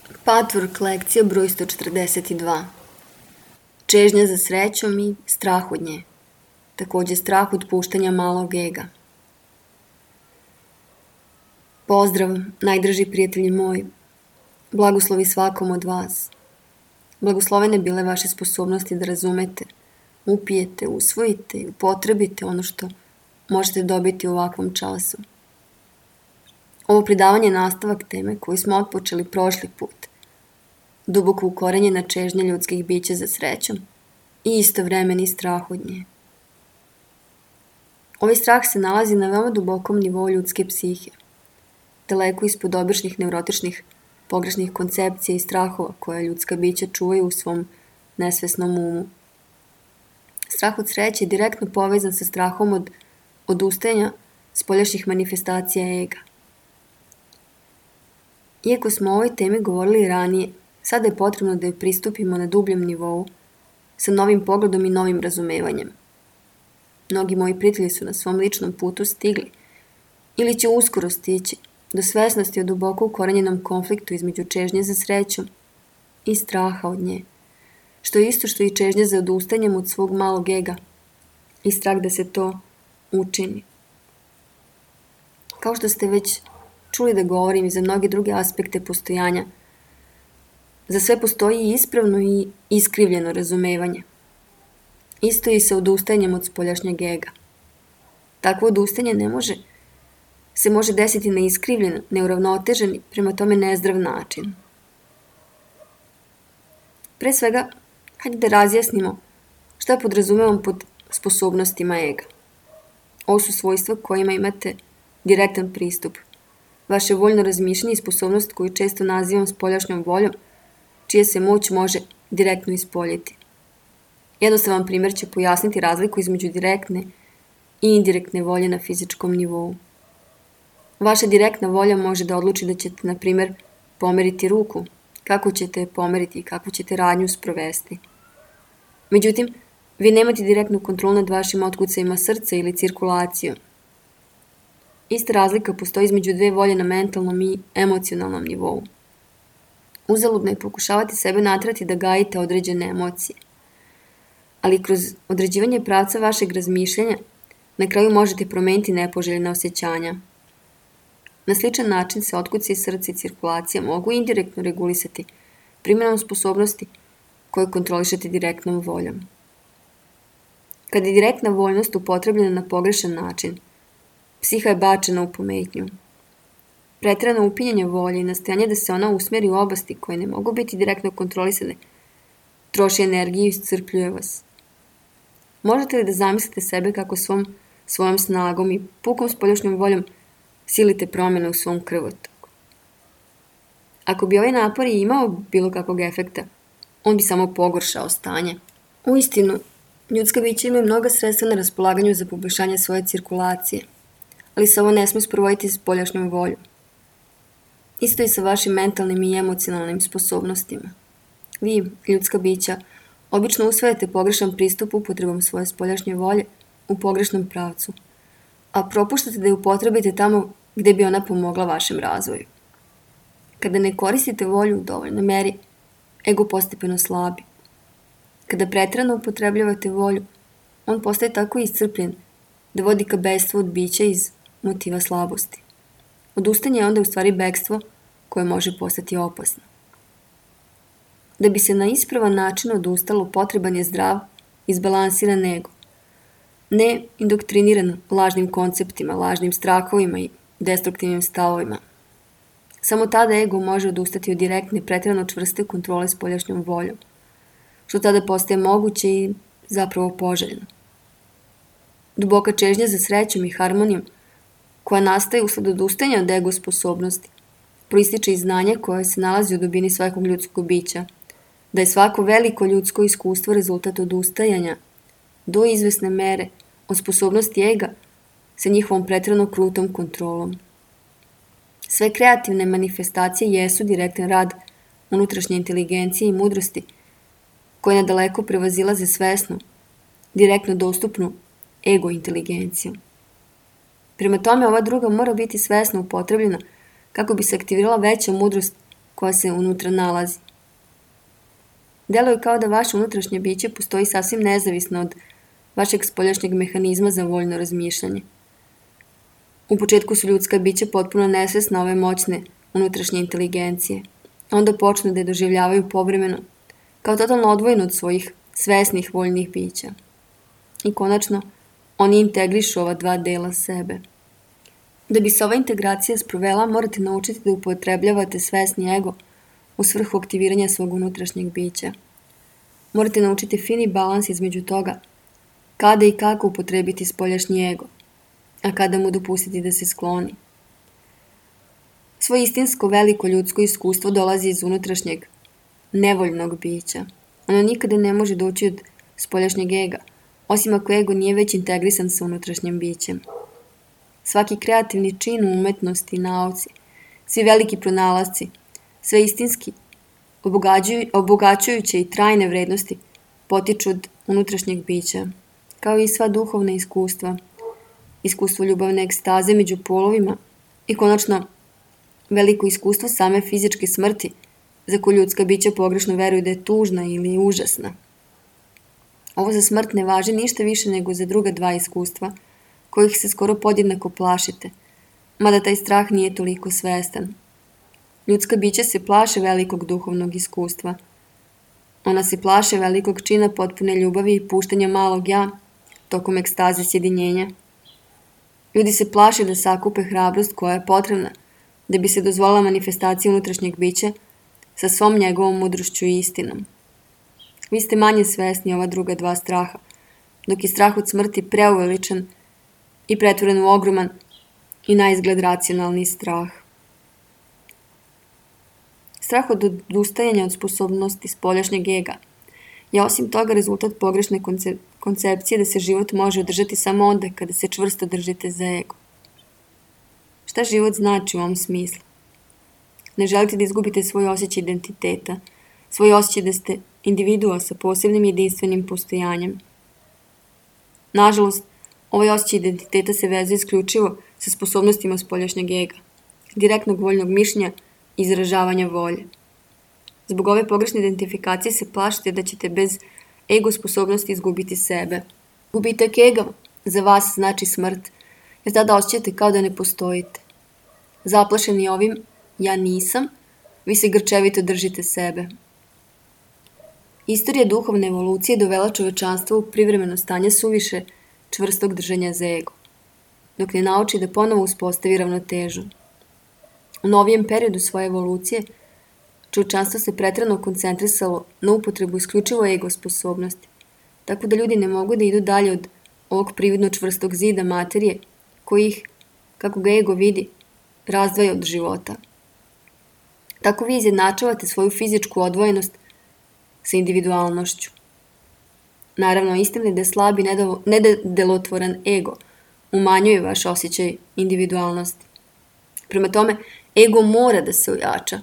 Patchwork lekcija broj 142. Čežnja za srećom i strah od nje. Također strah od puštanja malog ega. Pozdrav, najdraži prijatelji moji. Blagoslovi svakom od vas. Blagoslovene bile vaše sposobnosti da razumete, upijete, usvojite i upotrebite ono što možete dobiti u ovakvom času. Ovo predavanje je nastavak teme koju smo otpočeli prošli put. Duboko ukorenjena čežnja ljudskih bića za srećom i istovremeni strah od nje. Ovaj strah se nalazi na veoma dubokom nivou ljudske psihe, daleko ispod običnih neurotičnih pogrešnih koncepcija i strahova koje ljudska bića čuvaju u svom nesvesnom umu. Strah od sreće je direktno povezan sa strahom od odustajanja spoljašnjih manifestacija ega. Iako smo o ovoj temi govorili ranije, sada je potrebno da joj pristupimo na dubljem nivou, sa novim pogledom i novim razumevanjem. Mnogi moji prijatelji su na svom ličnom putu stigli, ili će uskoro stići, do svesnosti o duboko ukorenjenom konfliktu između čežnje za srećom i straha od nje, što je isto što i čežnje za odustanjem od svog malog ega i strah da se to učini. Kao što ste već čuli da govorim i za mnoge druge aspekte postojanja, za sve postoji ispravno i iskrivljeno razumevanje. Isto i sa odustajanjem od spoljašnjeg ega. Takvo odustajanje se može desiti na iskrivljen, neuravnotežen i prema tome nezdrav način. Pre svega, hajde da razjasnimo šta podrazumevam pod sposobnostima ega. Ovo su svojstva kojima imate direktan pristup. Vaše voljno razmišljanje i sposobnost koju često nazivam spoljašnjom voljom, čija se moć može direktno ispoljiti. Jednostavan primjer će pojasniti razliku između direktne i indirektne volje na fizičkom nivou. Vaša direktna volja može da odluči da ćete, na primjer, pomeriti ruku, kako ćete je pomeriti i kako ćete radnju sprovesti. Međutim, vi nemate direktnu kontrolu nad vašim otkucajima srca ili cirkulacijom. Ista razlika postoji između dve volje na mentalnom i emocionalnom nivou. Uzaludno je pokušavati sebe natrati da gajite određene emocije. Ali kroz određivanje pravca vašeg razmišljanja na kraju možete promeniti nepoželjna osjećanja. Na sličan način se otkuci srca i cirkulacija mogu indirektno regulisati primjenom sposobnosti koje kontrolišete direktnom voljom. Kad je direktna voljnost upotrebljena na pogrešan način, psiha je bačena u pometnju. Preterano upinjanje volje i nastojanje da se ona usmjeri u oblasti koje ne mogu biti direktno kontrolisane, troši energiju i iscrpljuje vas. Možete li da zamislite sebe kako svojom snagom i pukom spoljašnjom voljom silite promjene u svom krvotoku? Ako bi ovaj napor i imao bilo kakvog efekta, on bi samo pogoršao stanje. Uistinu, ljudska bića imaju mnoga sredstva na raspolaganju za poboljšanje svoje cirkulacije, ali se ovo ne smije sprovoditi spoljašnjom voljom. Isto i sa vašim mentalnim i emocionalnim sposobnostima. Vi, ljudska bića, obično usvajate pogrešan pristup upotrebom svoje spoljašnje volje u pogrešnom pravcu, a propuštate da je upotrebite tamo gdje bi ona pomogla vašem razvoju. Kada ne koristite volju u dovoljnoj meri, ego postepeno slabi. Kada preterano upotrebljavate volju, on postaje tako iscrpljen da vodi ka bekstvu od bića iz motiva slabosti. Odustanje je onda u stvari bekstvo koje može postati opasno. Da bi se na ispravan način odustalo, potreban je zdrav, izbalansiran ego. Ne indoktriniran lažnim konceptima, lažnim strahovima i destruktivnim stavovima. Samo tada ego može odustati od direktne, preterano čvrste kontrole spoljašnjom voljom, što tada postaje moguće i zapravo poželjno. Duboka čežnja za srećom i harmonijom, koja nastaje usled odustajanja od ego sposobnosti, proističe iz znanja koje se nalazi u dubini svakog ljudskog bića, da je svako veliko ljudsko iskustvo rezultat odustajanja do izvesne mere od sposobnosti ega sa njihovom preterano krutom kontrolom. Sve kreativne manifestacije jesu direktan rad unutrašnje inteligencije i mudrosti koje nadaleko prevazilaze svesnu, direktno dostupnu ego inteligenciju. Prema tome, ova druga mora biti svesno upotrebljena kako bi se aktivirala veća mudrost koja se unutra nalazi. Deluje kao da vaše unutrašnje biće postoji sasvim nezavisno od vašeg spoljašnjeg mehanizma za voljno razmišljanje. U početku su ljudska bića potpuno nesvesna ove moćne unutrašnje inteligencije. Onda počnu da je doživljavaju povremeno, kao totalno odvojeno od svojih svesnih voljnih bića. I konačno, oni integrišu ova dva dela sebe. Da bi se ova integracija sprovela, morate naučiti da upotrebljavate svesni ego u svrhu aktiviranja svog unutrašnjeg bića. Morate naučiti fini balans između toga kada i kako upotrebiti spoljašnji ego, a kada mu dopustiti da se skloni. Svoje istinsko veliko ljudsko iskustvo dolazi iz unutrašnjeg nevoljnog bića. Ono nikada ne može doći od spoljašnjeg ega, osim ako ego nije već integrisan sa unutrašnjim bićem. Svaki kreativni čin u umetnosti i nauci, svi veliki pronalasci, sve istinski, obogaćujuće i trajne vrednosti potiču od unutrašnjeg bića, kao i sva duhovna iskustva, iskustvo ljubavne ekstaze među polovima i konačno veliko iskustvo same fizičke smrti, za koju ljudska bića pogrešno veruju da je tužna ili užasna. Ovo za smrt ne važi ništa više nego za druga dva iskustva, kojih se skoro podjednako plašite, mada taj strah nije toliko svestan. Ljudska bića se plaše velikog duhovnog iskustva. Ona se plaše velikog čina potpune ljubavi i puštanja malog ja tokom ekstaze sjedinjenja. Ljudi se plaše da sakupe hrabrost koja je potrebna da bi se dozvolila manifestacija unutrašnjeg bića sa svom njegovom mudrošću i istinom. Vi ste manje svesni ova druga dva straha, dok je strah od smrti preuveličan i pretvoren u ogroman i na izgled racionalni strah. Strah od odustajanja od sposobnosti spoljašnjeg ega je osim toga rezultat pogrešne koncepcije da se život može održati samo onda kada se čvrsto držite za ego. Šta život znači u ovom smislu? Ne želite da izgubite svoj osjećaj identiteta, svoj osjećaj da ste individua sa posebnim jedinstvenim postojanjem. Nažalost, ovaj osjećaj identiteta se vezuje isključivo sa sposobnostima spoljašnjeg ega, direktnog voljnog mišljenja i izražavanja volje. Zbog ove pogrešne identifikacije se plašite da ćete bez ego sposobnosti izgubiti sebe. Gubitak ega za vas znači smrt, jer tada osjećate kao da ne postojite. Zaplašeni ovim ja nisam, vi se grčevito držite sebe. Istorija duhovne evolucije dovela čovečanstvo u privremeno stanje suviše čvrstog držanja za ego, dok ne nauči da ponovo uspostavi ravnotežu. U novijem periodu svoje evolucije, čovečanstvo se preterano koncentrisalo na upotrebu isključivo ego sposobnosti, tako da ljudi ne mogu da idu dalje od ovog prividno čvrstog zida materije, koji ih, kako ga ego vidi, razdvaja od života. Tako vi izjednačavate svoju fizičku odvojenost sa individualnošću. Naravno, istina je da je slab i nedelotvoran ego umanjuje vaš osjećaj individualnosti. Prema tome, ego mora da se ojača,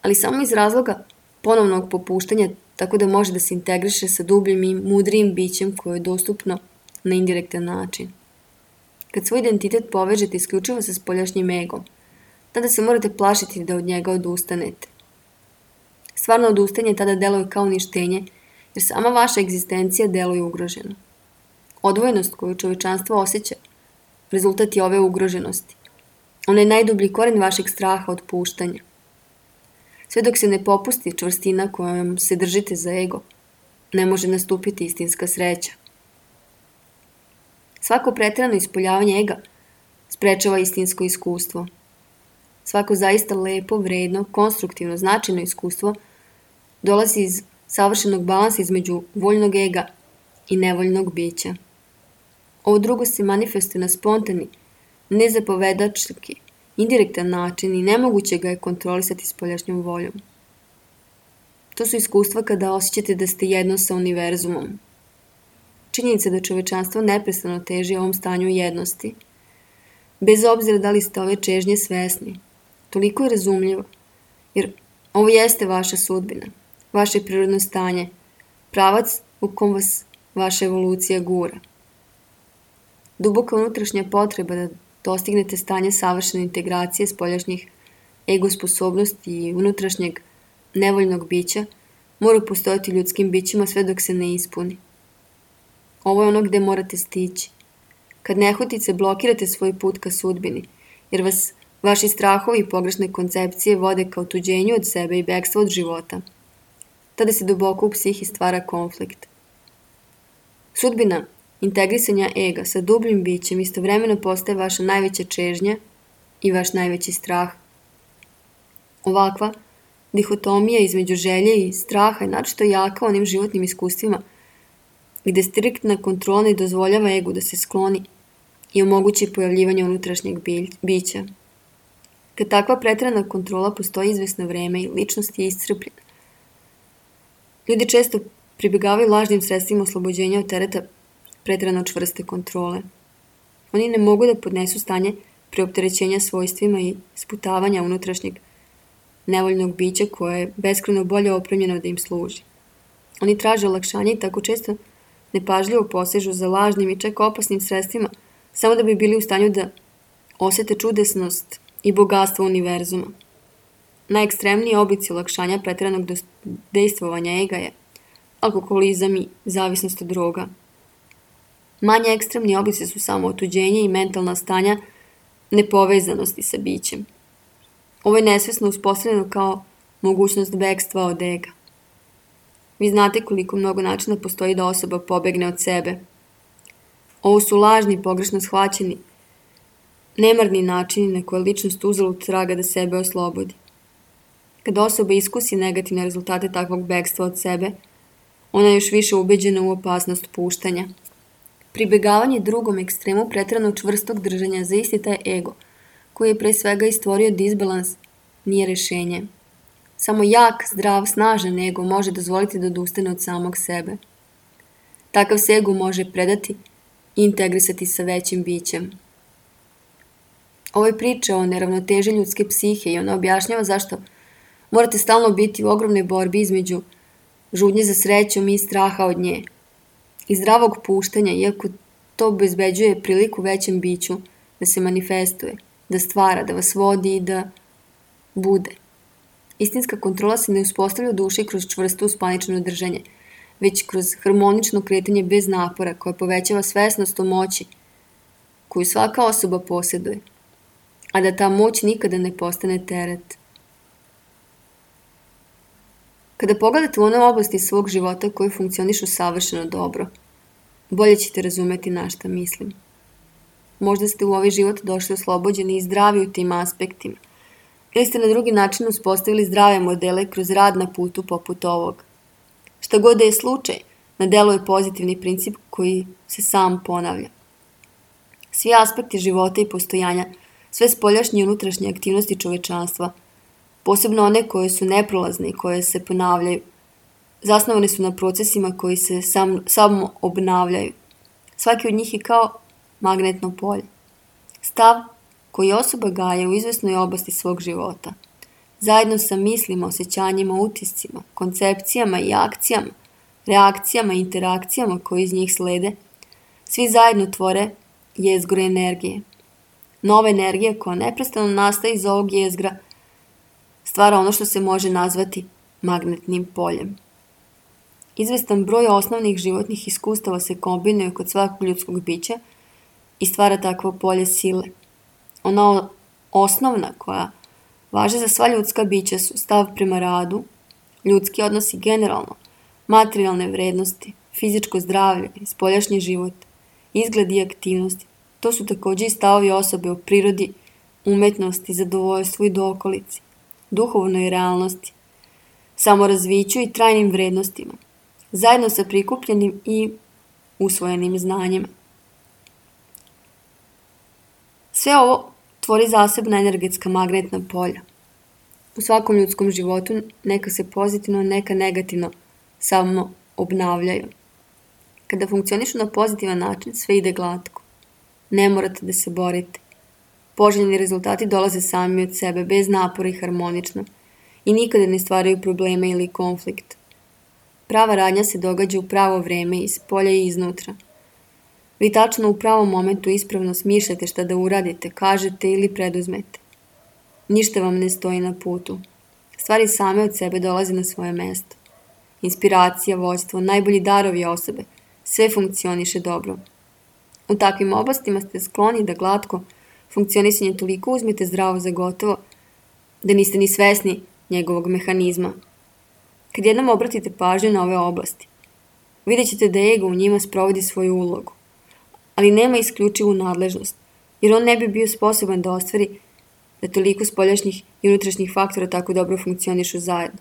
ali samo iz razloga ponovnog popuštanja, tako da može da se integriše sa dubljim i mudrijim bićem koje je dostupno na indirektan način. Kad svoj identitet povežete isključivo sa spoljašnjim egom, tada se morate plašiti da od njega odustanete. Stvarno odustajanje tada deluje kao uništenje, jer sama vaša egzistencija deluje ugroženo. Odvojenost koju čovečanstvo osjeća, rezultat je ove ugroženosti. Ona je najdublji koren vašeg straha od puštanja. Sve dok se ne popusti čvrstina kojom se držite za ego, ne može nastupiti istinska sreća. Svako preterano ispoljavanje ega sprečava istinsko iskustvo. Svako zaista lepo, vredno, konstruktivno, značajno iskustvo dolazi iz savršenog balansa između voljnog ega i nevoljnog bića. Ovo drugo se manifestuje na spontani, nezapovedački, indirektan način i nemoguće ga je kontrolisati spoljašnjom voljom. To su iskustva kada osjećate da ste jedno sa univerzumom. Činjenica da čovečanstvo neprestano teži ovom stanju jednosti, bez obzira da li ste ove čežnje svesni, toliko je razumljivo, jer ovo jeste vaša sudbina, vaše prirodno stanje, pravac u kom vas vaša evolucija gura. Duboka unutrašnja potreba da dostignete stanje savršene integracije spoljašnjih ego sposobnosti i unutrašnjeg nevoljnog bića mora postojati ljudskim bićima sve dok se ne ispuni. Ovo je ono gde morate stići. Kad nehotice blokirate svoj put ka sudbini, jer vas vaši strahovi i pogrešne koncepcije vode ka otuđenju od sebe i bekstvu od života, tada se duboko u psihi stvara konflikt. Sudbina integrisanja ega sa dubljim bićem istovremeno postaje vaša najveća čežnja i vaš najveći strah. Ovakva dihotomija između želje i straha je naročito jaka onim životnim iskustvima gde striktna kontrola ne dozvoljava egu da se skloni i omogući pojavljivanje unutrašnjeg bića. Kad takva preterana kontrola postoji izvesno vreme i ličnost je iscrpljena. Ljudi često pribegavaju lažnim sredstvima oslobođenja od tereta preterano čvrste kontrole. Oni ne mogu da podnesu stanje preopterećenja svojstvima i sputavanja unutrašnjeg nevoljnog bića koje je beskrajno bolje opremljeno da im služi. Oni traže olakšanje i tako često nepažljivo posežu za lažnim i čak opasnim sredstvima samo da bi bili u stanju da osete čudesnost i bogatstvo univerzuma. Najekstremniji oblici olakšanja preteranog dejstvovanja ega je alkoholizam i zavisnost od droga. Manje ekstremni oblici su samo otuđenje i mentalna stanja nepovezanosti sa bićem. Ovo je nesvesno uspostavljeno kao mogućnost bekstva od ega. Vi znate koliko mnogo načina postoji da osoba pobegne od sebe. Ovo su lažni, pogrešno shvaćeni, nemarni načini na koje ličnost uzalud traga da sebe oslobodi. Kada osoba iskusi negativne rezultate takvog bekstva od sebe, ona je još više ubeđena u opasnost puštanja. Pribegavanje drugom ekstremu preterano čvrstog držanja za isti taj ego, koji je pre svega i stvorio disbalans, nije rešenje. Samo jak, zdrav, snažan ego može dozvoliti da odustane od samog sebe. Takav se ego može predati i integrisati sa većim bićem. Ovo je priča o neravnoteži ljudske psihe i ona objašnjava zašto morate stalno biti u ogromnoj borbi između žudnje za srećom i straha od nje. I zdravog puštanja, iako to obezbeđuje priliku većem biću da se manifestuje, da stvara, da vas vodi i da bude. Istinska kontrola se ne uspostavlja u duši kroz čvrsto uspaničeno držanje, već kroz harmonično kretanje bez napora koje povećava svesnost o moći koju svaka osoba posjeduje, a da ta moć nikada ne postane teret. Kada pogledate u one oblasti svog života koje funkcionišu savršeno dobro, bolje ćete razumeti na šta mislim. Možda ste u ovaj život došli oslobođeni i zdravi u tim aspektima, ili ste na drugi način uspostavili zdrave modele kroz rad na putu poput ovog. Šta god da je slučaj, na delu je pozitivni princip koji se sam ponavlja. Svi aspekti života i postojanja, sve spoljašnje i unutrašnje aktivnosti čovečanstva, posebno one koje su neprolazne i koje se ponavljaju, zasnovane su na procesima koji se samo obnavljaju. Svaki od njih je kao magnetno polje. Stav koji osoba gaja u izvesnoj oblasti svog života, zajedno sa mislima, osjećanjima, utiscima, koncepcijama i akcijama, reakcijama i interakcijama koje iz njih slede, svi zajedno tvore jezgro energije. Nova energija koja neprestano nastaje iz ovog jezgra stvara ono što se može nazvati magnetnim poljem. Izvestan broj osnovnih životnih iskustava se kombinuje kod svakog ljudskog bića i stvara takvo polje sile. Ona osnovna koja važe za sva ljudska bića su stav prema radu, ljudski odnosi generalno, materijalne vrednosti, fizičko zdravlje, spoljašnji život, izgled i aktivnosti. To su takođe i stavovi osobe o prirodi, umetnosti, zadovoljstvu i dokolici, duhovnoj realnosti, samorazviću i trajnim vrednostima, zajedno sa prikupljenim i usvojenim znanjima. Sve ovo tvori zasebna energetska magnetna polja. U svakom ljudskom životu neka se pozitivno, neka negativno samo obnavljaju. Kada funkcionišu na pozitivan način, sve ide glatko. Ne morate da se borite. Poželjni rezultati dolaze sami od sebe, bez napora i harmonično, i nikada ne stvaraju probleme ili konflikt. Prava radnja se događa u pravo vreme, iz polja i iznutra. Vi tačno u pravom momentu ispravno smišljate šta da uradite, kažete ili preduzmete. Ništa vam ne stoji na putu. Stvari same od sebe dolaze na svoje mesto. Inspiracija, vođstvo, najbolji darovi osobe, sve funkcioniše dobro. U takvim oblastima ste skloni da glatko funkcionisanje toliko uzmete zdravo za gotovo da niste ni svesni njegovog mehanizma. Kad jednom obratite pažnju na ove oblasti, vidjet ćete da ego u njima sprovodi svoju ulogu, ali nema isključivu nadležnost, jer on ne bi bio sposoban da ostvari da toliko spoljašnjih i unutrašnjih faktora tako dobro funkcionišu zajedno.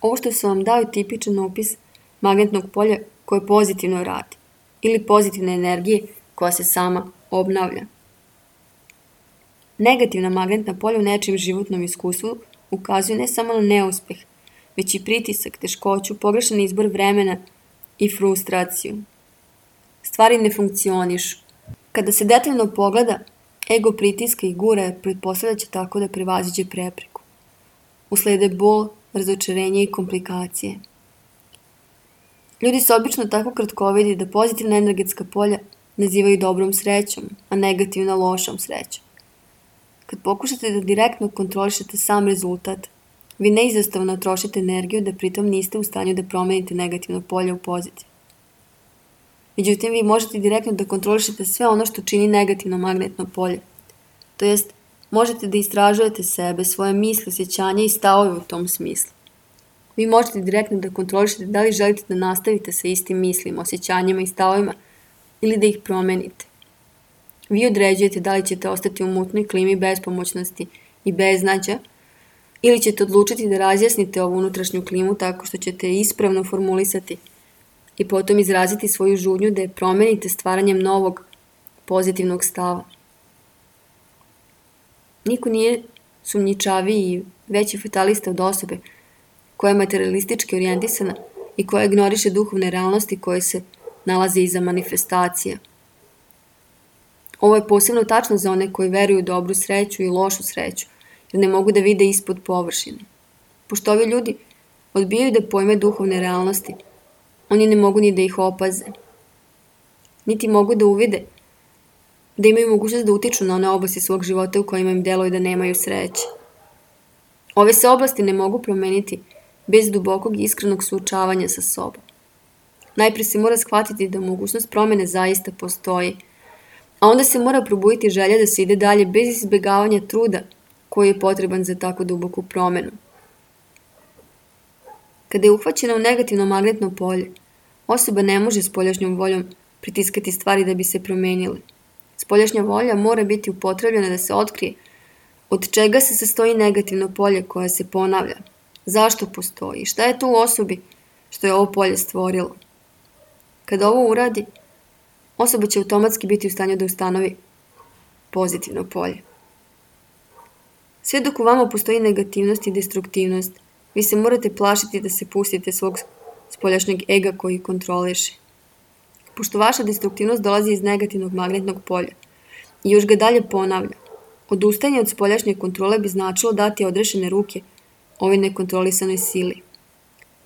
Ovo što sam vam dao je tipičan opis magnetnog polja koje pozitivno radi, ili pozitivne energije koja se sama obnavlja. Negativna magnetna polja u nečijem životnom iskustvu ukazuju ne samo na neuspeh, već i pritisak, teškoću, pogrešan izbor vremena i frustraciju. Stvari ne funkcionišu. Kada se detaljno pogleda, ego pritiska i gura jer pretpostavlja će tako da prevaziđe prepreku. Uslede bol, razočarenje i komplikacije. Ljudi se obično tako kratkovidi da pozitivna energetska polja nazivaju dobrom srećom, a negativna lošom srećom. Kad pokušate da direktno kontrolišete sam rezultat, vi neizostavno trošite energiju da pritom niste u stanju da promenite negativno polje u pozitiv. Međutim, vi možete direktno da kontrolišete sve ono što čini negativno magnetno polje. To jest, možete da istražujete sebe, svoje misli, osjećanja i stavove u tom smislu. Vi možete direktno da kontrolišete da li želite da nastavite sa istim mislima, osjećanjima i stavovima ili da ih promenite. Vi određujete da li ćete ostati u mutnoj klimi bespomoćnosti i beznađa ili ćete odlučiti da razjasnite ovu unutrašnju klimu tako što ćete ispravno formulisati i potom izraziti svoju žudnju da je promenite stvaranjem novog pozitivnog stava. Niko nije sumnjičaviji i veći fatalista od osobe koja je materialistički orijentisana i koja ignoriše duhovne realnosti koje se nalaze iza manifestacija. Ovo je posebno tačno za one koji veruju u dobru sreću i lošu sreću, jer ne mogu da vide ispod površine. Pošto ovi ljudi odbijaju da pojme duhovne realnosti, oni ne mogu ni da ih opaze. Niti mogu da uvide da imaju mogućnost da utiču na one oblasti svog života u kojima im deluje da nemaju sreće. Ove se oblasti ne mogu promeniti bez dubokog i iskrenog suočavanja sa sobom. Najpre se mora shvatiti da mogućnost promene zaista postoji, a onda se mora probuditi želja da se ide dalje bez izbjegavanja truda koji je potreban za tako duboku promenu. Kada je uhvaćena u negativno magnetno polje, osoba ne može spoljašnjom voljom pritiskati stvari da bi se promenile. Spoljašnja volja mora biti upotrebljena da se otkrije od čega se sastoji negativno polje koje se ponavlja, zašto postoji, šta je to u osobi što je ovo polje stvorilo. Kada ovo uradi, osoba će automatski biti u stanju da ustanovi pozitivno polje. Sve dok u vama postoji negativnost i destruktivnost, vi se morate plašiti da se pustite svog spoljašnjeg ega koji kontroliše. Pošto vaša destruktivnost dolazi iz negativnog magnetnog polja i još ga dalje ponavlja, odustajanje od spoljašnje kontrole bi značilo dati odrešene ruke ovoj nekontrolisanoj sili.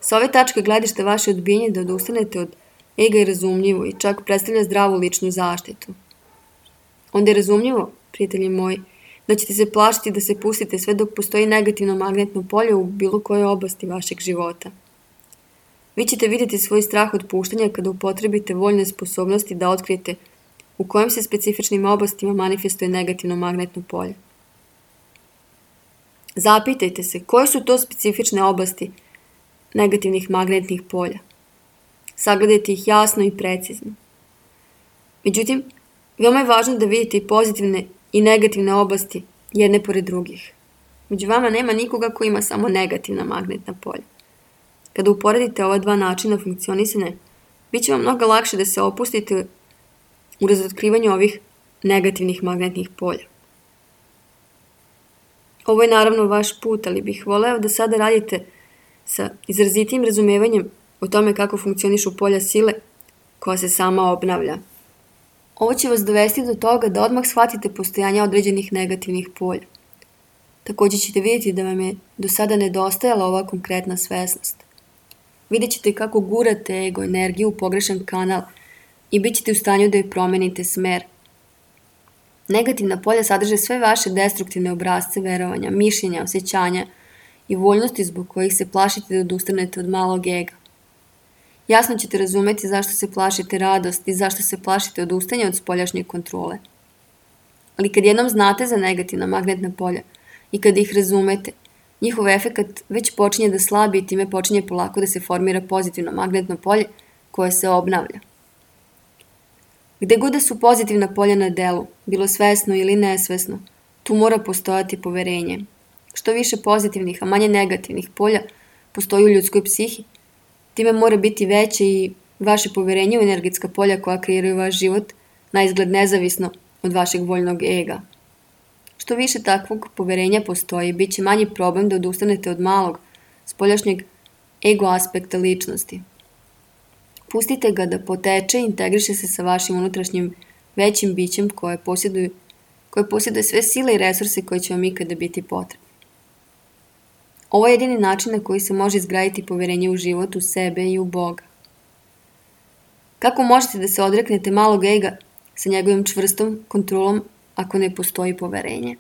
Sa ove tačke gledišta vaše odbijenje da odustanete od ega je razumljivo i čak predstavlja zdravu ličnu zaštitu. Onda je razumljivo, prijatelji moji, da ćete se plašiti da se pustite sve dok postoji negativno magnetno polje u bilo kojoj oblasti vašeg života. Vi ćete vidjeti svoj strah od puštanja kada upotrebite voljne sposobnosti da otkrijete u kojim se specifičnim oblastima manifestuje negativno magnetno polje. Zapitajte se koje su to specifične oblasti negativnih magnetnih polja. Sagledajte ih jasno i precizno. Međutim, veoma je važno da vidite i pozitivne i negativne oblasti jedne pored drugih. Među vama nema nikoga ko ima samo negativna magnetna polja. Kada uporedite ova dva načina funkcionisanja, bit će vam mnogo lakše da se opustite u razotkrivanju ovih negativnih magnetnih polja. Ovo je naravno vaš put, ali bih voleo da sada radite sa izrazitim razumevanjem o tome kako funkcionišu polja sile koja se sama obnavlja. Ovo će vas dovesti do toga da odmah shvatite postojanje određenih negativnih polja. Također ćete vidjeti da vam je do sada nedostajala ova konkretna svesnost. Vidjet ćete kako gurate ego energiju u pogrešan kanal i bit ćete u stanju da joj promenite smer. Negativna polja sadrže sve vaše destruktivne obrasce verovanja, mišljenja, osjećanja i voljnosti zbog kojih se plašite da odustanete od malog ega. Jasno ćete razumeti zašto se plašite radosti i zašto se plašite odustanja od spoljašnje kontrole. Ali kad jednom znate za negativna magnetna polja i kad ih razumete, njihov efekat već počinje da slabi i time počinje polako da se formira pozitivno magnetno polje koje se obnavlja. Gde god da su pozitivna polja na delu, bilo svesno ili nesvesno, tu mora postojati poverenje. Što više pozitivnih, a manje negativnih polja postoji u ljudskoj psihi, time mora biti veće i vaše poverenje u energetska polja koja kreiraju vaš život, na izgled nezavisno od vašeg voljnog ega. Što više takvog poverenja postoji, bit će manji problem da odustanete od malog, spoljašnjeg ego aspekta ličnosti. Pustite ga da poteče i integriše se sa vašim unutrašnjim većim bićem koje posjeduje sve sile i resurse koje će vam ikada biti potrebni. Ovo je jedini način na koji se može izgraditi poverenje u život, u sebe i u Boga. Kako možete da se odreknete malog ega sa njegovim čvrstom kontrolom ako ne postoji poverenje?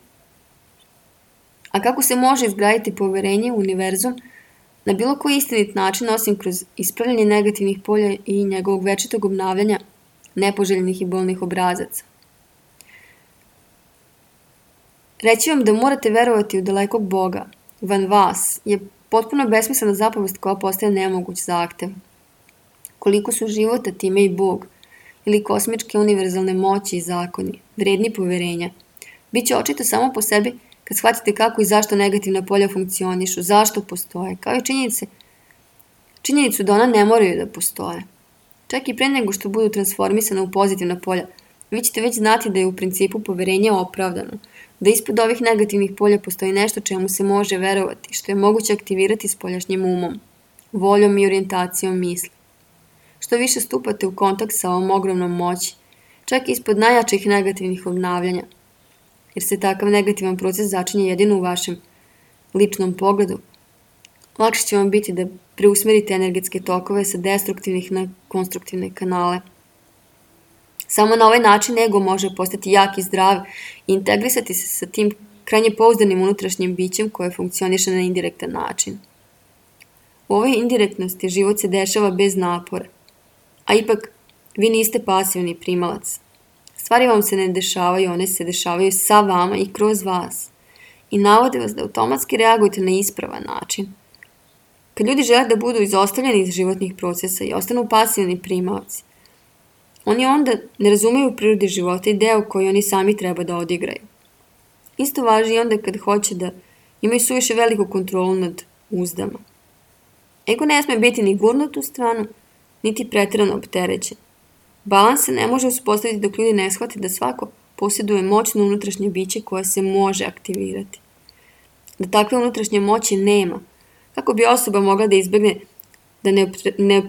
A kako se može izgraditi poverenje u univerzum na bilo koji istinit način osim kroz ispravljanje negativnih polja i njegovog večitog obnavljanja nepoželjnih i bolnih obrazaca? Reći vam da morate verovati u dalekog Boga, van vas, je potpuno besmislena zapovest koja postaje nemoguć zahtev. Koliko su života time i Bog, ili kosmičke univerzalne moći i zakoni, vredni poverenja, bit će očito samo po sebi kad shvatite kako i zašto negativna polja funkcionišu, zašto postoje, kao i činjenicu da ona ne moraju da postoje. Čak i pre nego što budu transformisane u pozitivna polja, vi ćete već znati da je u principu poverenje opravdano, da ispod ovih negativnih polja postoji nešto čemu se može verovati, što je moguće aktivirati spoljašnjim umom, voljom i orijentacijom misli. Što više stupate u kontakt sa ovom ogromnom moći, čak i ispod najjačih negativnih obnavljanja, jer se takav negativan proces začinje jedino u vašem ličnom pogledu, lakše će vam biti da preusmerite energetske tokove sa destruktivnih na konstruktivne kanale. Samo na ovaj način ego može postati jak i zdrav i integrisati se sa tim krajnje pouzdanim unutrašnjim bićem koje funkcioniše na indirektan način. U ovoj indirektnosti život se dešava bez napora, a ipak vi niste pasivni primalac. Stvari vam se ne dešavaju, one se dešavaju sa vama i kroz vas i navode vas da automatski reagujete na ispravan način. Kad ljudi žele da budu izostavljeni iz životnih procesa i ostanu pasivni primalci, oni onda ne razumeju prirodi života i deo koji oni sami treba da odigraju. Isto važi i onda kad hoće da imaju suviše veliku kontrolu nad uzdama. Ego ne sme biti ni gurnut u stranu, niti preterano opterećen. Balans se ne može uspostaviti dok ljudi ne shvate da svako posjeduje moćno unutrašnje biće koje se može aktivirati. Da takve unutrašnje moći nema, kako bi osoba mogla da izbegne da ne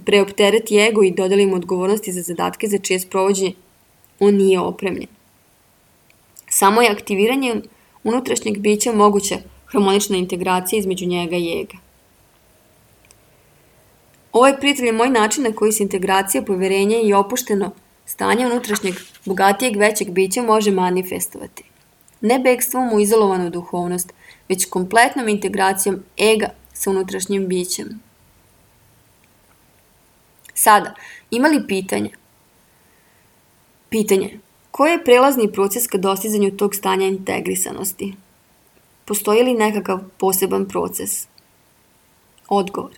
preoptereti ego i dodeli mu odgovornosti za zadatke za čije sprovođenje on nije opremljen. Samo je aktiviranjem unutrašnjeg bića moguća harmonična integracija između njega i ega. Ovo je, prijatelji, moj način na koji se integracija, poverenje i opušteno stanje unutrašnjeg, bogatijeg, većeg bića može manifestovati. Ne bekstvom u izolovanu duhovnost, već kompletnom integracijom ega sa unutrašnjim bićem. Sada, ima li pitanja? Pitanje. Koji je prelazni proces ka dostizanju tog stanja integrisanosti? Postoji li nekakav poseban proces? Odgovor.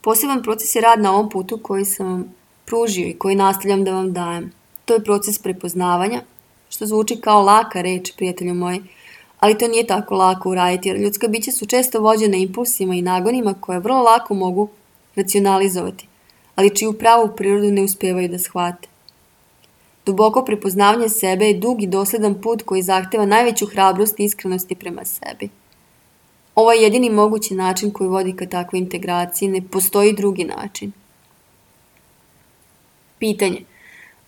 Poseban proces je rad na ovom putu koji sam vam pružio i koji nastavljam da vam dajem. To je proces prepoznavanja, što zvuči kao laka reč, prijatelju moji, ali to nije tako lako uraditi, jer ljudska bića su često vođene impulsima i nagonima koje vrlo lako mogu racionalizovati, ali čiju pravu prirodu ne uspevaju da shvate. Duboko prepoznavanje sebe je dug i dosledan put koji zahteva najveću hrabrost i iskrenosti prema sebi. Ovo je jedini mogući način koji vodi ka takvoj integraciji, ne postoji drugi način. Pitanje.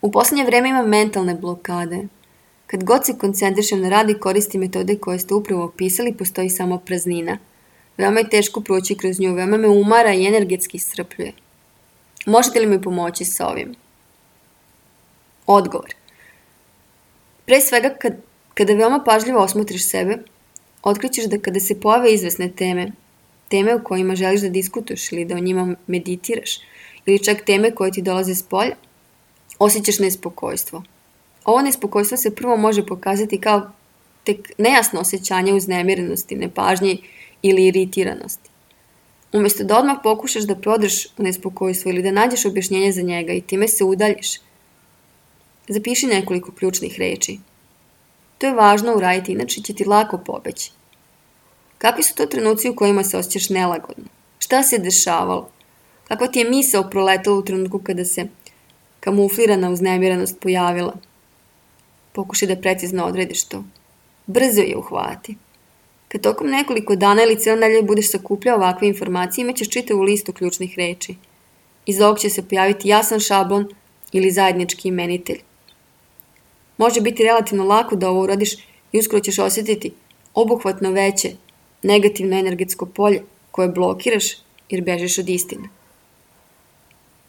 U poslednje vreme imam mentalne blokade. Kad god se koncentrišem na rad i koristim metode koje ste upravo opisali, postoji samo praznina. Veoma je teško proći kroz nju, veoma me umara i energetski iscrpljuje. Možete li mi pomoći sa ovim? Odgovor. Pre svega, kada veoma pažljivo osmotriš sebe, otkrićeš da kada se pojave izvesne teme o kojima želiš da diskutuješ ili da o njima meditiraš, ili čak teme koje ti dolaze s polja, osjećaš nespokojstvo. Ovo nespokojstvo se prvo može pokazati kao tek nejasno osjećanje uznemirenosti, nepažnje ili iritiranosti. Umjesto da odmah pokušaš da prodreš u nespokojstvo ili da nađeš objašnjenje za njega i time se udaljiš, zapiši nekoliko ključnih reči. To je važno uraditi, inače će ti lako pobeći. Kakvi su to trenuci u kojima se osjećaš nelagodno? Šta se dešavalo? Kakva ti je misao proletala u trenutku kada se kamuflirana uznemirenost pojavila? Pokušaj da precizno odrediš to. Brzo je uhvati. Kad tokom nekoliko dana ili cijelo nedelje budeš sakupljao ovakve informacije, imaćeš čitavu listu ključnih reči. Iz ovog će se pojaviti jasan šablon ili zajednički imenitelj. Može biti relativno lako da ovo uradiš i uskoro ćeš osjetiti obuhvatno veće negativno energetsko polje koje blokiraš jer bežiš od istine.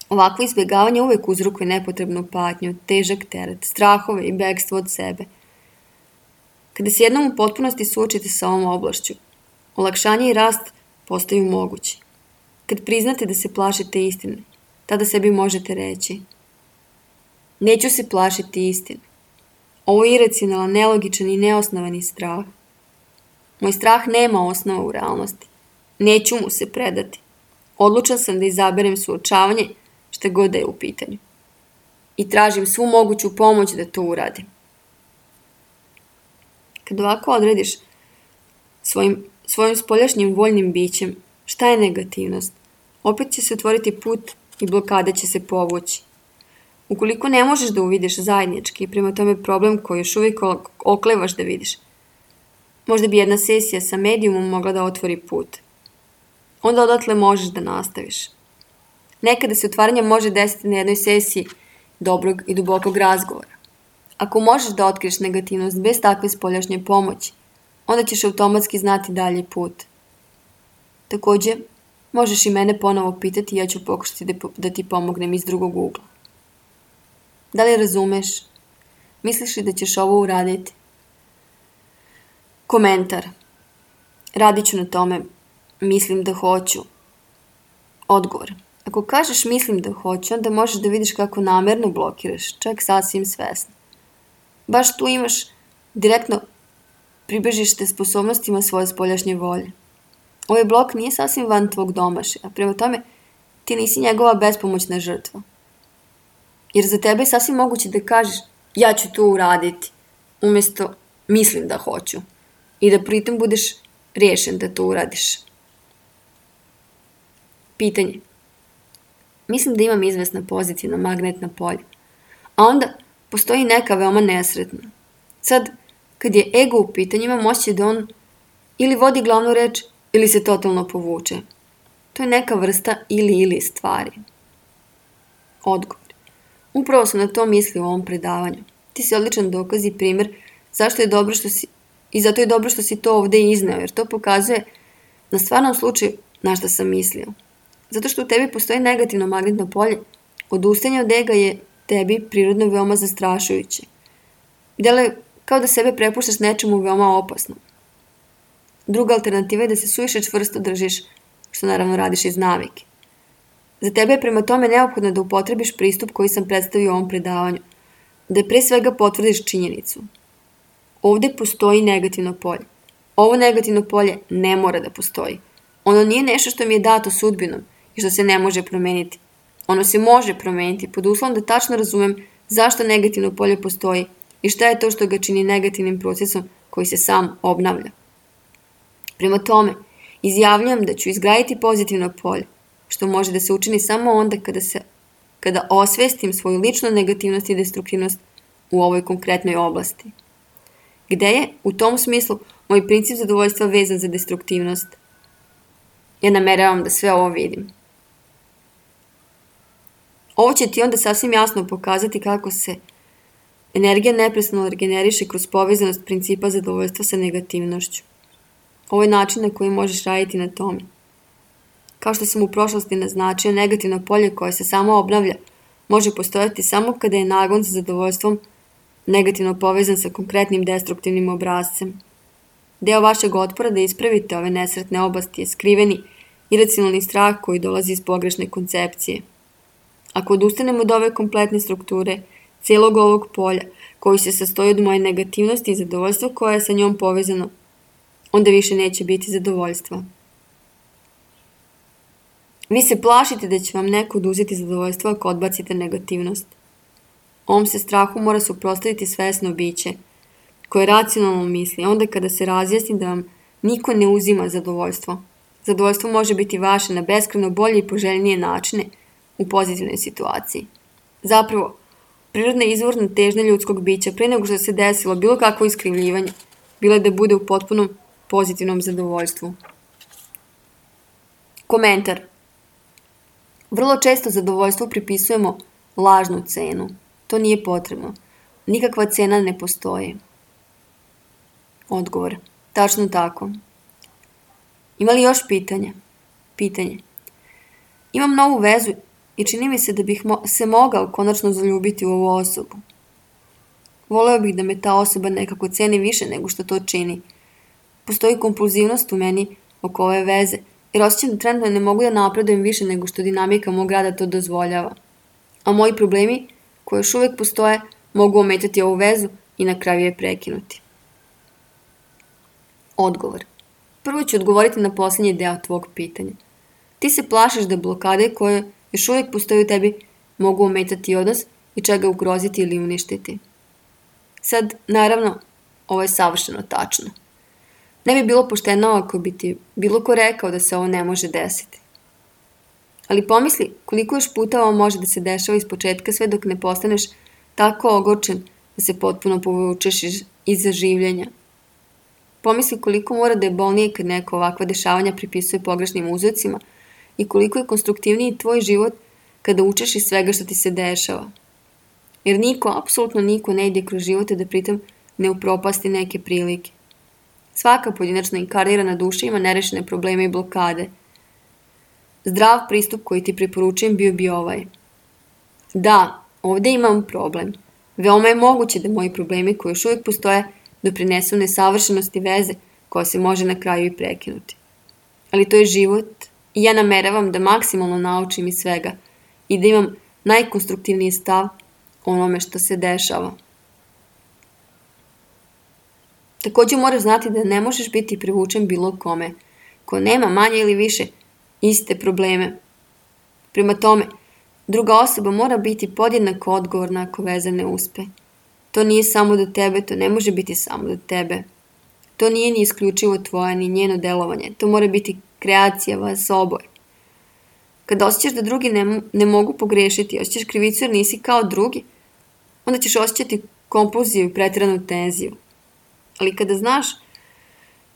Ovakvo izbjegavanje uvijek uzrokuje nepotrebnu patnju, težak teret, strahove i bekstvo od sebe. Kada se jednom u potpunosti suočite sa ovom oblašću, olakšanje i rast postaju mogući. Kad priznate da se plašite istine, tada sebi možete reći: neću se plašiti istine. Ovo je iracionalan, nelogičan i neosnovani strah. Moj strah nema osnova u realnosti. Neću mu se predati. Odlučan sam da izaberem suočavanje šta god da je u pitanju. I tražim svu moguću pomoć da to uradim. Kad ovako odrediš svojim spoljašnjim voljnim bićem šta je negativnost, opet će se otvoriti put i blokada će se povući. Ukoliko ne možeš da uvidiš zajednički i prema tome problem koji još uvijek oklevaš da vidiš, možda bi jedna sesija sa medijumom mogla da otvori put. Onda odatle možeš da nastaviš. Nekada se otvaranje može desiti na jednoj sesiji dobrog i dubokog razgovora. Ako možeš da otkriješ negativnost bez takve spoljašnje pomoći, onda ćeš automatski znati dalji put. Također, možeš i mene ponovo pitati i ja ću pokušati da ti pomognem iz drugog ugla. Da li razumeš? Misliš li da ćeš ovo uraditi? Komentar. Radit ću na tome. Mislim da hoću. Odgovor. Ako kažeš mislim da hoću, onda možeš da vidiš kako namjerno blokiraš, čak sasvim svesno. Baš tu imaš direktno pribežište sposobnostima svoje spoljašnje volje. Ovaj blok nije sasvim van tvog domašaja, prema tome ti nisi njegova bespomoćna žrtva. Jer za tebe je sasvim moguće da kažeš ja ću to uraditi, umjesto mislim da hoću. I da pritom budeš riješen da to uradiš. Pitanje. Mislim da imam izvesna pozitivna magnetna polja. A onda postoji neka veoma nesretna. Sad, kad je ego u pitanju, imam osjećaj da on ili vodi glavnu reč ili se totalno povuče. To je neka vrsta ili stvari. Odgovor. Upravo sam na to mislio u ovom predavanju. Ti si odličan dokaz i primjer zato je dobro što si to ovdje izneo, jer to pokazuje na stvarnom slučaju na što sam mislio. Zato što u tebi postoji negativno magnetno polje, odustajanje od ega je tebi prirodno veoma zastrašujuće. Deluje kao da sebe prepuštaš nečemu veoma opasnom. Druga alternativa je da se suviše čvrsto držiš, što naravno radiš iz navike. Za tebe je prema tome neophodno da upotrebiš pristup koji sam predstavio u ovom predavanju, da pre svega potvrdiš činjenicu. Ovdje postoji negativno polje. Ovo negativno polje ne mora da postoji. Ono nije nešto što mi je dato sudbinom i što se ne može promeniti. Ono se može promeniti pod uslovom da tačno razumem zašto negativno polje postoji i šta je to što ga čini negativnim procesom koji se sam obnavlja. Prema tome, izjavljujem da ću izgraditi pozitivno polje, što može da se učini samo onda kada osvestim svoju ličnu negativnost i destruktivnost u ovoj konkretnoj oblasti. Gde je, u tom smislu, moj princip zadovoljstva vezan za destruktivnost? Ja nameravam da sve ovo vidim. Ovo će ti onda sasvim jasno pokazati kako se energija neprestano regeneriše kroz povezanost principa zadovoljstva sa negativnošću. Ovo je način na koji možeš raditi na tome. Kao što sam u prošlosti naznačio, negativno polje koje se samo obnavlja može postojati samo kada je nagon za zadovoljstvom negativno povezan sa konkretnim destruktivnim obrascem. Deo vašeg otpora da ispravite ove nesretne oblasti je skriveni, iracionalni strah koji dolazi iz pogrešne koncepcije. Ako odustanemo od ove kompletne strukture, cijelog ovog polja, koji se sastoji od moje negativnosti i zadovoljstva koje je sa njom povezano, onda više neće biti zadovoljstva. Vi se plašite da će vam neko oduzeti zadovoljstvo ako odbacite negativnost. Ovom se strahu mora suprotstaviti svesno biće, koje racionalno misli, onda kada se razjasni da vam niko ne uzima zadovoljstvo. Zadovoljstvo može biti vaše na beskrajno bolje i poželjnije načine u pozitivnoj situaciji. Zapravo, prirodna izvorna težnja ljudskog bića pre nego što se desilo bilo kakvo iskrivljivanje, bilo je da bude u potpunom pozitivnom zadovoljstvu. Komentar. Vrlo često zadovoljstvu pripisujemo lažnu cenu. To nije potrebno. Nikakva cena ne postoji. Odgovor. Tačno tako. Ima li još pitanja? Pitanje. Imam novu vezu i čini mi se da bih se mogao konačno zaljubiti u ovu osobu. Voleo bih da me ta osoba nekako ceni više nego što to čini. Postoji kompulzivnost u meni oko ove veze, jer osjećam da trenutno ne mogu da napredujem više nego što dinamika mog rada to dozvoljava. A moji problemi, koji još uvijek postoje, mogu ometati ovu vezu i na kraju je prekinuti. Odgovor. Prvo ću odgovoriti na posljednji deo tvog pitanja. Ti se plašiš da blokade koje još uvijek postoje u tebi mogu ometati odnos i čega ugroziti ili uništiti. Sad, naravno, ovo je savršeno tačno. Ne bi bilo pošteno ako bi ti bilo ko rekao da se ovo ne može desiti. Ali pomisli koliko još puta ovo može da se dešava iz početka sve dok ne postaneš tako ogorčen da se potpuno povučeš iz življenja. Pomisli koliko mora da je bolnije kad neko ovakva dešavanja pripisuje pogrešnim uzrocima i koliko je konstruktivniji tvoj život kada učeš iz svega što ti se dešava. Jer niko, apsolutno niko ne ide kroz živote da pritom ne upropasti neke prilike. Svaka pojedinačna inkarnirana duša ima nerešene probleme i blokade. Zdrav pristup koji ti preporučujem bio bi ovaj. Da, ovdje imam problem. Veoma je moguće da moji problemi koji još uvijek postoje doprinesu nesavršenosti veze koja se može na kraju i prekinuti. Ali to je život i ja nameravam da maksimalno naučim iz svega i da imam najkonstruktivniji stav onome što se dešava. Također moraš znati da ne možeš biti privučen bilo kome, ko nema manje ili više iste probleme. Prema tome, druga osoba mora biti podjednako odgovorna ako veza ne uspe. To nije samo do tebe, to ne može biti samo do tebe. To nije ni isključivo tvoje, ni njeno delovanje. To mora biti kreacija vas oboje. Kada osjećaš da drugi ne mogu pogrešiti, osjećaš krivicu jer nisi kao drugi, onda ćeš osjećati kompulziju i pretjeranu tenziju. Ali kada znaš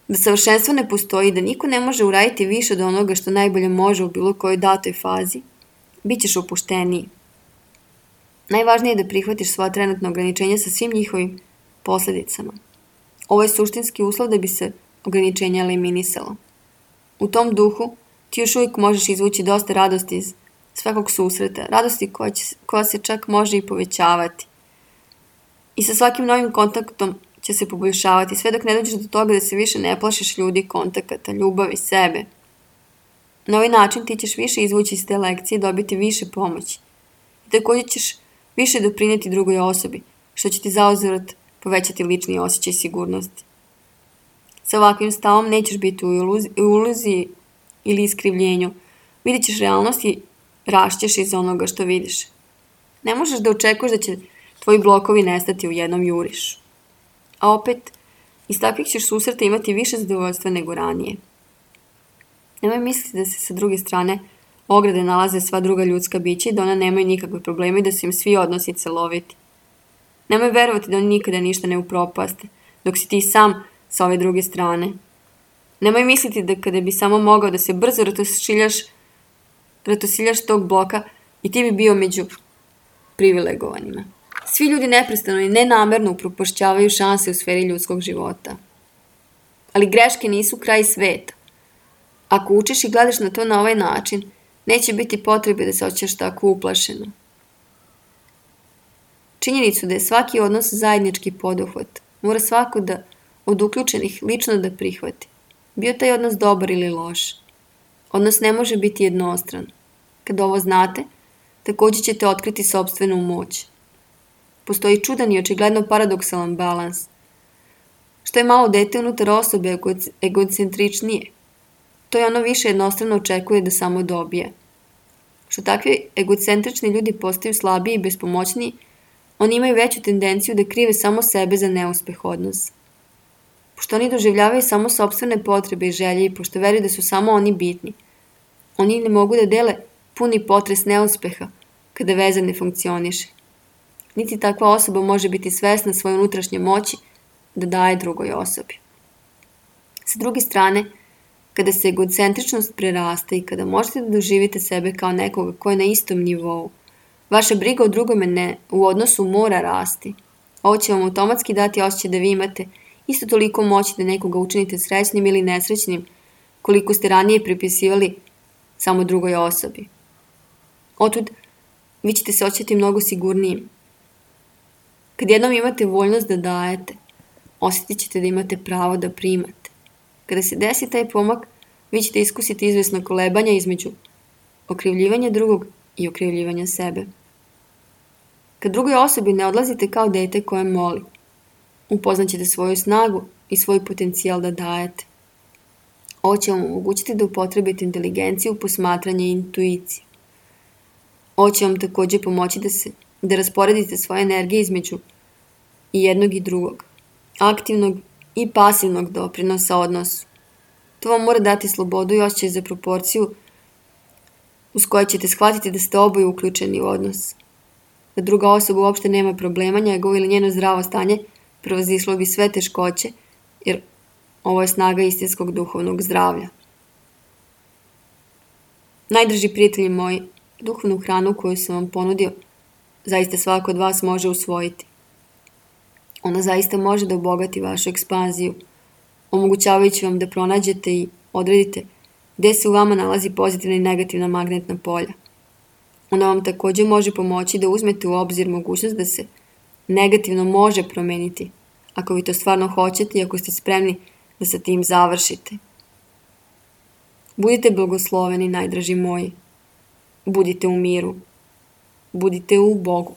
da savršenstvo ne postoji, da niko ne može uraditi više od onoga što najbolje može u bilo kojoj datoj fazi, bit ćeš opušteniji. Najvažnije je da prihvatiš svoja trenutna ograničenja sa svim njihovim posljedicama. Ovo je suštinski uslov da bi se ograničenja eliminisalo. U tom duhu ti još uvijek možeš izvući dosta radosti iz svakog susreta, radosti koja se čak može i povećavati. I sa svakim novim kontaktom će se poboljšavati, sve dok ne dođeš do toga da se više ne plašiš ljudi, kontakata, ljubavi, sebe. Na ovaj način ti ćeš više izvući iz te lekcije i dobiti više pomoći. I također ćeš više doprinijeti drugoj osobi, što će ti zauzvrat povećati lični osjećaj sigurnosti. Sa ovakvim stavom nećeš biti u iluziji ili iskrivljenju. Vidjet ćeš realnost i rašćeš iz onoga što vidiš. Ne možeš da očekuješ da će tvoji blokovi nestati u jednom jurišu. A opet, iz takvih ćeš susreta imati više zadovoljstva nego ranije. Nemoj misliti da se sa druge strane ograde nalaze sva druga ljudska bića i da ona nemaju nikakve probleme i da su im svi odnosi celoviti. Nemoj verovati da oni nikada ništa ne upropaste, dok si ti sam sa ove druge strane. Nemoj misliti da kada bi samo mogao da se brzo ratosiljaš tog bloka i ti bi bio među privilegovanima. Svi ljudi neprestano i nenamerno upropašćavaju šanse u sferi ljudskog života. Ali greške nisu kraj sveta. Ako učiš i gledaš na to na ovaj način, neće biti potrebe da se osjećaš tako uplašeno. činjenicu da je svaki odnos zajednički poduhvat, mora svako od uključenih lično da prihvati. Bio taj odnos dobar ili loš. Odnos ne može biti jednostran. Kada ovo znate, također ćete otkriti sopstvenu moć. Postoji čudan i očigledno paradoksalan balans. Što je malo dete unutar osobe egocentričnije, to je ono više jednostrano očekuje da samo dobije. Što takvi egocentrični ljudi postaju slabiji i bespomoćniji, oni imaju veću tendenciju da krive samo sebe za neuspeh odnosa. Pošto oni doživljavaju samo sopstvene potrebe i želje i pošto veruju da su samo oni bitni, oni ne mogu da dele puni potres neuspeha kada veza ne funkcioniše. Niti takva osoba može biti svesna svoje unutrašnje moći da daje drugoj osobi. Sa druge strane, kada se egocentričnost prerasta i kada možete da doživite sebe kao nekoga ko je na istom nivou, vaša briga o drugome u odnosu mora rasti. Ovo će vam automatski dati osjećaj da vi imate isto toliko moći da nekoga učinite srećnim ili nesrećnim koliko ste ranije pripisivali samo drugoj osobi. Otud vi ćete se osjećati mnogo sigurnijim. Kad jednom imate voljnost da dajete, osjetit ćete da imate pravo da primate. Kada se desi taj pomak, vi ćete iskusiti izvesno kolebanja između okrivljivanja drugog i okrivljivanja sebe. Kad drugoj osobi ne odlazite kao dete koje moli, upoznaćete svoju snagu i svoj potencijal da dajete. Ovo će vam omogućiti da upotrebite inteligenciju, posmatranje i intuiciju. Ovo će vam također pomoći da rasporedite svoje energije između i jednog i drugog, aktivnog i pasivnog doprinosa odnosu. To vam mora dati slobodu i osjećaj za proporciju uz koje ćete shvatiti da ste oboje uključeni u odnos. Da druga osoba uopšte nema problema, njegovo ili njeno zdravo stanje prevazišlo bi sve teškoće, jer ovo je snaga istinskog duhovnog zdravlja. Najdrži prijatelji moji, duhovnu hranu koju sam vam ponudio, zaista svako od vas može usvojiti. Ona zaista može da obogati vašu ekspanziju, omogućavajući vam da pronađete i odredite gde se u vama nalazi pozitivna i negativna magnetna polja. Ona vam također može pomoći da uzmete u obzir mogućnost da se negativno može promeniti, ako vi to stvarno hoćete i ako ste spremni da sa tim završite. Budite blagosloveni, najdraži moji. Budite u miru. Budite u Bogu.